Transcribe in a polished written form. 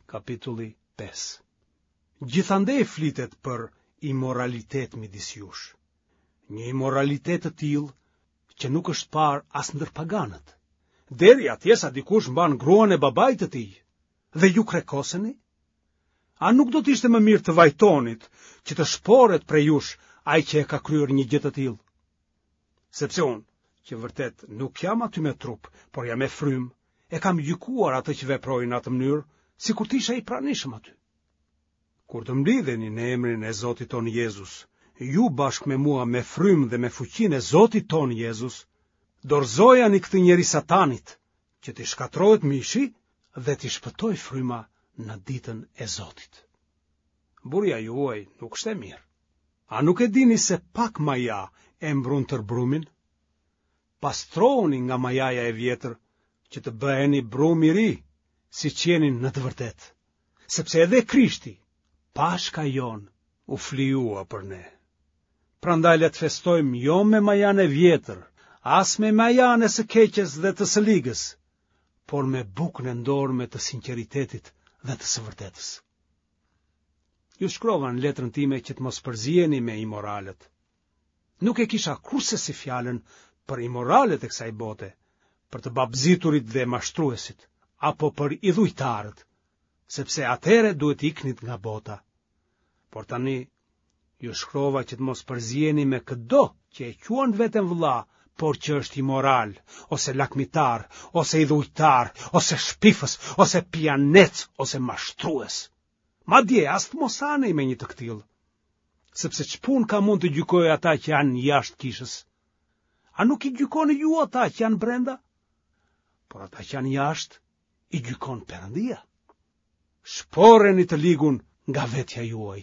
Kapitulli 5. Gjithandej flitet për imoralitet midis jush. Një imoralitet të tillë që nuk është parë as ndër paganët. Deri atje sa dikush mban gruan e babait të tij dhe ju krekoseni? A nuk do të ishte më mirë të vajtonit që të shporet prej jush ai që e ka kryer një gjë të tillë? Sepse unë, që vërtet nuk jam aty me trup, por jam me frymë, e kam gjykuar atë që veproi në atë mënyrë, sikur të isha i pranishëm aty. Kur të mblidheni në emrin e Zotit tonë Jezus, ju bashkë me mua me frymë dhe me fuqinë e Zotit tonë Jezus, dorëzojani këtë njeri satanit, që t'i shkatërrohet mishi dhe t'i shpëtojë fryma në ditën e Zotit. Buria juaj nuk është e mirë. A nuk e dini se pak maja e mbrun tërë brumin? Pastrohuni nga majaja e vjetër që të bëheni brumë i ri, siç jeni në të vërtetë. Sepse edhe Krishti, Pashka jonë, u flijua për ne. Prandaj le të festojmë jo me majanë e vjetër, as me majanë e së keqes dhe të së ligës, por me bukën e ndorme të sinqeritetit dhe të së vërtetës. Ju shkrova në letrën time që të mos përziheni me imoralët. Nuk e kisha kurrsesi fjalën për imoralët e kësaj bote, për të babëziturit dhe mashtruesit, apo për idhujtarët, sepse atëherë duhet të iknit nga bota. Por tani, ju shkrova që të mos përziheni me këdo që e quan veten vëlla, por që është imoral, ose lakmitar, ose idhujtar, ose shpifës, ose pijanec, ose mashtrues. Madje, as të mos hani me një të këtillë. Sepse ç'punë kam unë të gjykoj ata që janë jashtë kishës? A nuk i gjykoni ju ata që janë brenda? Por ata që janë jashtë, i gjykon Perëndia. Shporreni të ligun nga vetja juaj.